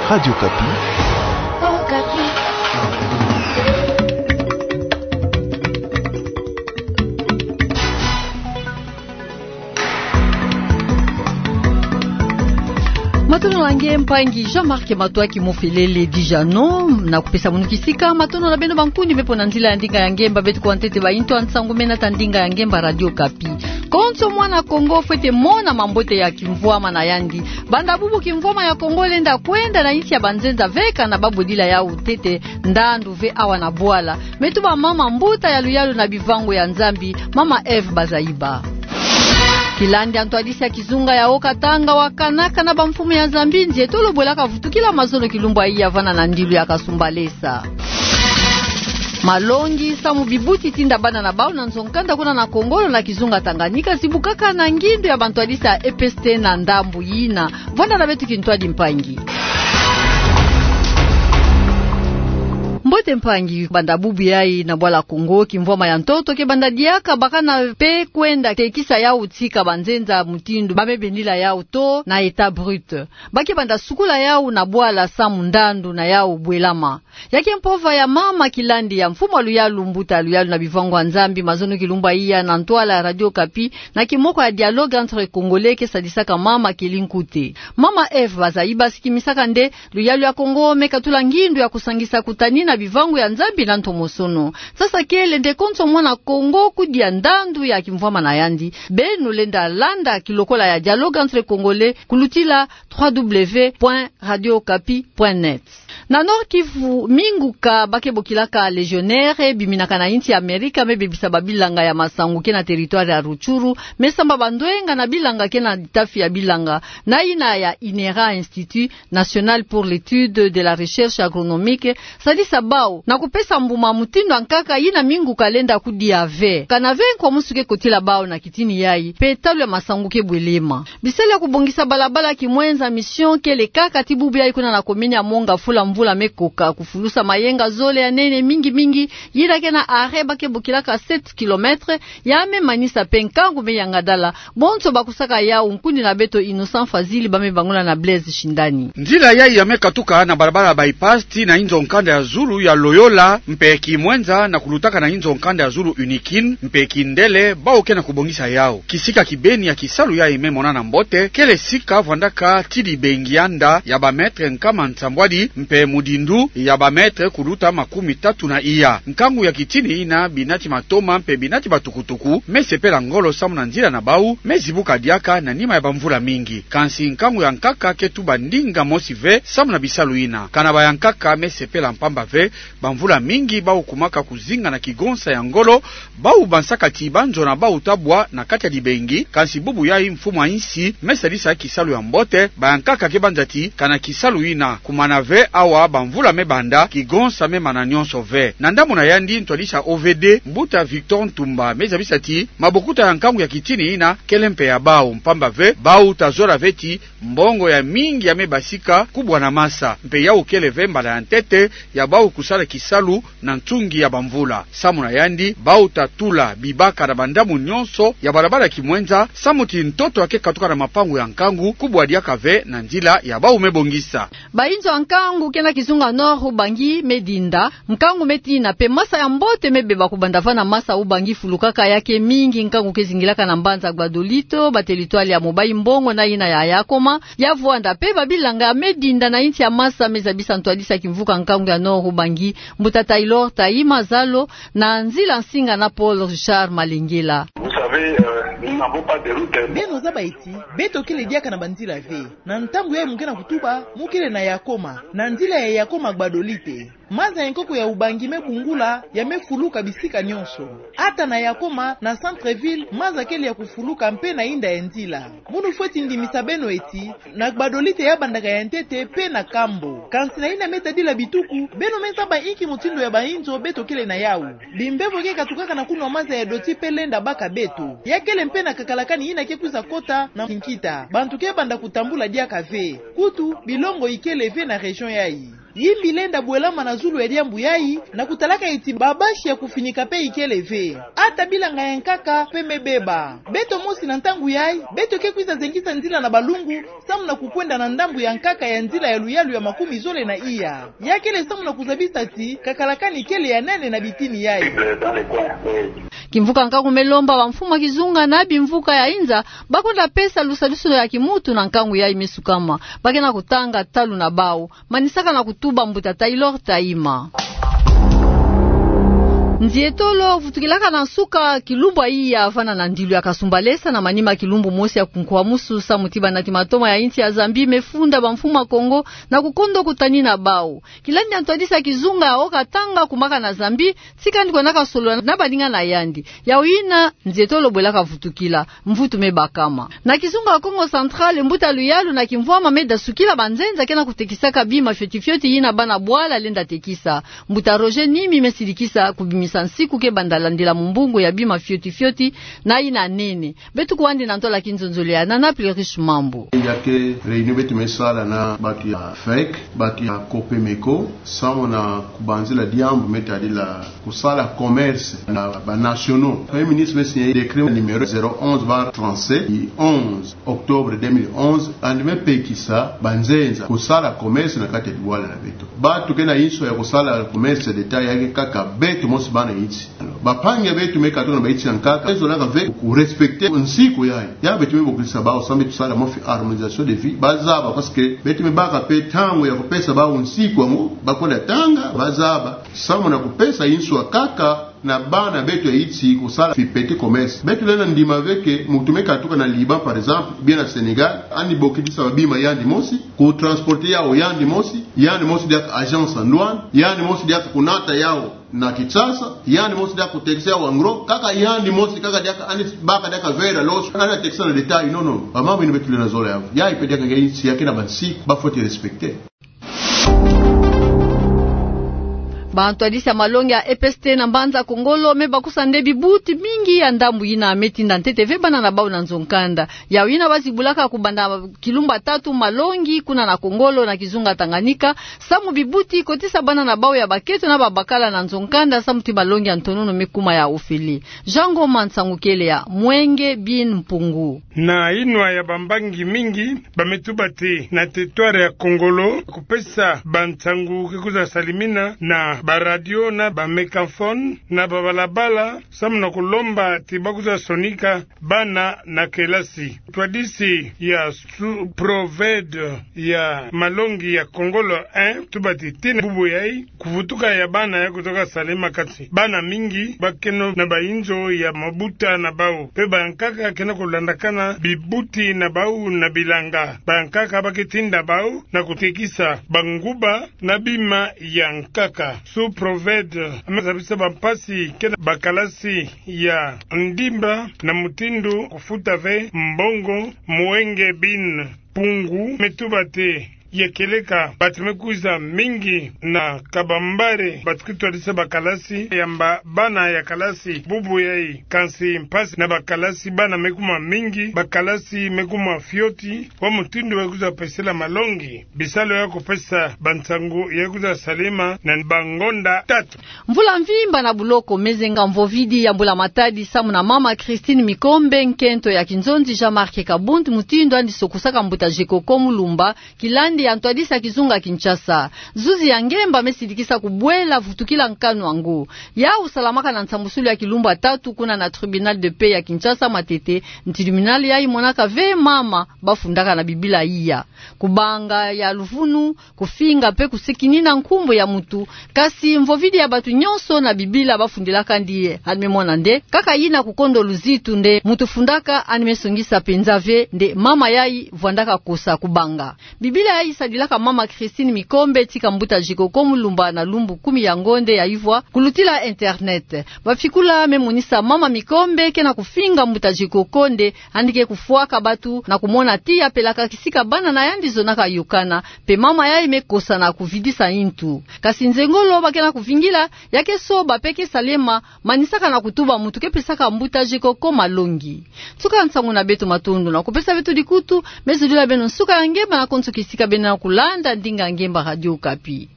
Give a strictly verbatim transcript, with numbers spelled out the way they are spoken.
Radio Okapi. Matondo na nge mpangi Jean-Marc Matoaki Mofelele Dijano, na kupesa munu kisika matondo na beno bankundi me mpo na nzila ya ndinga ya ngemba. Beto kuwa ntete ba intu ya nsangu mena ta ndinga ya ngemba Radio Okapi. Konso mwana Kongo fwete mona mambote ya kimvwama na yandi. Banda bubu kimvwama ya Kongo lenda kwenda na insi ya banzenza ve kana babodila yau ntete ndandu ve awa na bwala. Me tuba mama mbuta ya luyalu na bivangu ya Nzambi, mama Eve Bazaiba. Kilandi ya ntwadisi ya kizunga ya Haut-Katanga wakana kana bamfumu ya Zambie nzieto lo bwelaka vutukila mazono kilumbu ya vana na ndilu ya Kasumbalesa. Malongi samu bibuti tinda bana na bau na nzo-nkanda kuna na Kongolo na kizunga Tanganyika zibukaka na ngindu ya bantwadisi ya E P S T na ndambu yina. Vwanda na beto kintwadi mpangi. Mbote mpangi, banda bubu yai na bwala Kongo, kimvwama ya ntoto ke banda diaka bakana pe kwenda tekisa yau tika banzenza mutindu ba me bendila yau thon na état brut. Ba ke banda sukula yau na bwala samu ndandu na yau bwelama. Ya ke mpova ya mama Kilandi ya mfumu a luyalu, mbuta ya luyalu na bivangu ya Nzambi, mazono kilumbu ya na ntwala ya Radio Okapi, na kimoko ya Dialogue entre Congolais ke sadisaka mama Kelly Nkute. Mama Eve Bazaiba sikimisaka nde luyalu ya Kongo me katula ngindu ya kusangisa kutani na bivangu ya Nzambi na ntomosono. Sasa kele nde konso mwana Kongo kudia ndandu ya kimvwama na yandi, beno lenda landa kilokola ya Dialogue entre Congolais kulutila trois W point radio okapi point net. Na Nord-Kivu, minguka ba ke bokilaka Legionnaires biminaka na insi ya Amerika me bebisa babilanga ya masangu ke na territoire ya Rutshuru, me samba bandwenga na bilanga ke na litafi ya bilanga na yina ya INERA, Institut National pour l'Étude de la Recherche Agronomique, sadisa bau na kupesa mbuma mutindu ya nkaka yina minguka lenda kudia ve. Kana ve nkwa musu ke kotila bau na kitini yai, pe talu ya masangu ke bwelema. Bisalu ya kubongisa balabala Kimwenza Mission kele kaka ti bubu yai kuna na commune ya Monga fula mvula me koka, kufulusa mayenga zole ya nene mingi mingi, yina ke na arrêt ba ke bokilaka sept kilomètres, ya me manisa pe nkangu me yangadala. Bonso bakusaka yau, nkundi na beto Innocent Fazili ba me bangula na Blaise Shindani. Nzila yai ya me katuka na balabala bypass tii na inzo-nkanda ya zulu ya Loyola mpe Kimwenza na kulutaka na inzo-nkanda ya zulu Unikin mpe Kindele, bau ke na kubongisa yau. Kisika kibeni ya kisalu yai me monana mbote kele sika vwandaka ti dibengi ya nda ya ba mètres nkama nsambwadi mpe mudindu ya ba mètres kuluta makumi tatu na iya. Nkangu ya kitini yina, binati matoma mpe binati batukutuku me sepela ngolo samu na nzila na bau me zibuka diaka na nima ya bamvula mingi. Kansi nkangu ya nkaka ke tuba ndinga mosi ve samu na bisalu yina. Kana bayankaka me sepela mpamba ve, bamvula mingi bau kumaka kuzinga na kigonsa ya ngolo, bau bansaka ti banzo na bau ta bwa na kati ya dibengi, kansi bubu yai mfumu a insi me sadisa kisalu ya mbote, bayankaka ke banza ti kana kisalu yina kumana ve awa bamvula me banda, kigonsa me mana nyonso ve. Na ndambu na yandi, ntwadisi ya O V D, mbuta Victor Ntumba, me zabisa ti mabokuta ya nkangu ya kitini yina kele mpe ya bau, mpamba ve bau ta zola ve ti mbongo ya mingi ya me basika kubwa na masa, mpe yau kele ve mbala ya ntete ya bau kusala kisalu na nsungi ya bamvula. Samu na yandi, bau ta tula bibaka na bandambu nyonso ya balabala Kimwenza, samu ti ntoto ya ke katuka na mapangu ya nkangu kubwa diaka ve na nzila ya bau me bongisa. Ba inzo ya nkangu ke na kizunga Nord-Ubangi me dinda, nkangu me tina mpe masa ya mbote me beba kubanda vana masa Ubangi fulukaka ya ke mingi, nkangu ke zingilaka na mbanza Gbadolite, ba territoire ya Mobayi-Mbongo na yina ya Yakoma, ya vwanda mpe babilanga me dinda na insi ya masa. Me zabisa ntwadisi ya kimvuka nkangu ya Nord-Ubangi, mbuta Taylor Taima Zalo, na nzila nsinga na Paul Richard Malengela. Vous savez, euh, nous n'avons pas de route. Beno zaba eti beto kele diaka na banzila ve. Na ntangu yai mu ke na kutuba, mu kele na Yakoma, na nzila ya Yakoma Gbadolite. Maza ya nkoko ya Ubangi me bungula, ya me fuluka bisika nyonso. Ata na Yakoma, na centre-ville, maza kele ya kufuluka mpe na inda ya nzila. Munu fweti ndimisa beno eti, na Gbadolite ya bandaka ya ntete mpe na kambo. Kansi na yina me tadila bituku, beno me zaba inki mutindu ya ba inzo beto kele na yau. Bimbevo ke katukaka na kunwa maza ya doti mpe lenda baka beto. Ya kele mpe na kakalakani yina ke kwiza kota na kinkita. Bantu ke banda kutambula diaka ve. Kutu, bilongo ikele ve na région yai. Yimbi lenda bwelama na zulu ya diambu yayi, na kutalaka eti babasi ya kufinika pe ikele ve. Ata bilanga ya nkaka pe me beba. Beto mosi na ntangu yayi, beto ke kwiza zengisa nzila na balungu, samu na kukwenda na ndambu ya nkaka ya nzila ya luyalu ya makumi zole na iya. Ya kele samu na kuzabisa ti, kakalakani kele ya nene na bitini yayi. Kimvuka nkangu me lomba bamfumu ya kizunga na bimvuka ya inza, bakwenda pesa lusadusu ya kimuntu na nkangu yayi me sukama. Ba ke na kutanga talu na bawu, manisaka na kutuba mbuta Taylor Taima. Nzietolo vutukilaka na nsuka kilumbu ya iya vana na ndilu ya Kasumbalesa na manima kilumbu mosi ya kunkwamusu samu ti banati matoma ya insi ya Zambie me funda bamfumu ya Kongo na kukondo kutani na bawu. Kilandi ya ntwadisi ya kizunga ya haut-katanga kumaka na Zambie, tika ni kwendaka solola na baninga na yandi. Yawu yina, nzietolo bwelaka vutukila, mvutu me bakama. Na kizunga ya Kongo Central, mbuta Luyalu na Kimvwama me dasukila banzenza ke na kutekisaka bima fioti-fioti yina bana bwala lenda tekisa. Mbuta Roger Nimi me sidikisa kubimisa nsiku ke banda landila mumbungu ya bima fioti-fioti na yina nene. Beto kwandi na ntola kinzonzolo na Plurish Mambu. Ya ke réunion beto me sala na bantu ya fec, bantu ya Copemeco, samu na kubanzila diambu me tadila kusala commerce na banationaux. Premier ministre me signer décret numéro zéro onze barre trente-sept du onze octobre deux mille onze, yandi me pekisa banzenza kusala commerce na kati ya bwala na beto. Bantu ke na inso ya kusala commerce d'État ya ke kaka beto mosi bana insi. Bampangi ya beto me katuka na bainsi ya nkaka, beto zolaka ve kurespecter nsiku yayi. Ya beto me bokisa bawu samu beto sala mwa fille harmonisation de vie. Bazaba, parce que beto me baka pe ntangu ya kupesa bawu nsiku yango, bakwenda tanga, bazaba. Samu na kupesa inso ya nkaka na bana beto ya insi kusala fille petit commerce. Beto lenda ndima ve que muntu me katuka na Liban, par exemple, bien na Sénégal, yandi bokidisa babima yandi mosi, kutransporter yawu yandi mosi, yandi mosi diaka agence en douane, yandi mosi diaka kunata yawu na Kinshasa, yandi mosi diaka kutekisa yawu en gros, kaka yandi mosi kaka diaka yandi baka diaka vert alors, yandi tekisa na détail, non, non. Bamambu yina beto lenda zola yawu. Yayi pe diaka nge insi ya ke na bansiku, ba faut respecter. Bantwadisi ya malongi ya E P S T na mbanza Kongolo me bakusa nde bibuti mingi ya ndambu yina me tinda ntete ve bana na bawu na nzo-nkanda. Yawu yina bazibulaka kubanda kilumbu ya tatu malongi kuna na Kongolo na kizunga Tanganyika, samu bibuti kotisa bana na bawu ya bakento na babakala na nzo-nkanda, samu ti malongi ya ntonono me kuma ya ofele. Jean Ngoma, nsangu kele ya Mwenge Bin Mpungu. Na inwa ya bambangi mingi, ba me tuba ti na territoire ya Kongolo, kupesa bansangu ke kwiza salimina na baradio na bamégaphone na babalabala, samu na kulomba ti ba kwiza sonika bana na kelasi. Ntwadisi ya sous-préfet ya malongi ya Kongolo un tuba ti tii na bubu yayi, kuvutuka ya bana ya kutoka salima, kati bana mingi bakeno na bainzo ya mabuta na bawu, pe bankaka ke na kulandakana bibuti na bawu na bilanga. Bankaka ba ke tinda bawu na kutekisa banguba na bima ya nkaka. Sous-préfet me zabisa bampasi ke na bakalasi ya ndimba na mutindu kufuta ve mbongo. Mwenge Bin Mpungu me tuba ti ya kieleka bantu me kwiza mingi na kabambare, bantu ke twadisa bakalasi, yamba bana ya kalasi bubu yayi. Kansi mpasi na bakalasi, bana me kuma mingi, bakalasi me kuma fioti, wa mutindu wa kwiza pesela malongi. Bisalu ya kupesa bansangu ya kwiza salima na bangonda tatu. Mvula mvimba na buloko me zenga mvovidi ya mbula matadi samu na mama Christine Mikombe, nkento ya kinzonzi Jean-Marc Kabund, mutindu yandi sokusaka mbuta Jekoko Mulumba, kilandi ya ntwadisi ya kizunga Kinshasa. Zuzi ya ngemba me sidikisa kubwela vutukila nkanu yango. Yawu salamaka na nsambusulu ya kilumbu ya tatu kuna na tribunal de paix ya Kinshasa, matete, tribunal yayi monaka ve mama bafundaka na Bibila iya. Kubanga ya luvunu, kufinga pe kusikinina nkumbu ya mutu, kasi mvovidi ya bantu nyonso na Bibila bafundilaka yandi ye. Yandi me mona nde kaka yina kukondo luzitu nde mutu fundaka, yandi me songisa penza ve nde mama yayi vwandaka kosa kubanga. Bibila yayi sadilaka mama Christine Mikombe tika mbuta Jekoko Mulumba na lumbu kumi ya ngonde ya ivwa, kulutila internet. Bafukula me monisa mama Mikombe ke na kufinga mbuta Jekoko nde yandi ke kufwaka bantu na kumona ti ya pelaka kisika bana na yandi zonaka yokana, pe mama yayi me kosa na kuvidisa yintu. Kasi nzengolo ba ke na kuvingila, ya ke soba pe ke salema, manisaka na kutuba mutu ke pesaka mbuta Jekoko malongi. Nsuka nsangu na beto, matondo na kupesa beto dikutu, me zolila beno nsuka ya ngemba na konso kisika beno na kulanda ndinga ngemba Radio Okapi.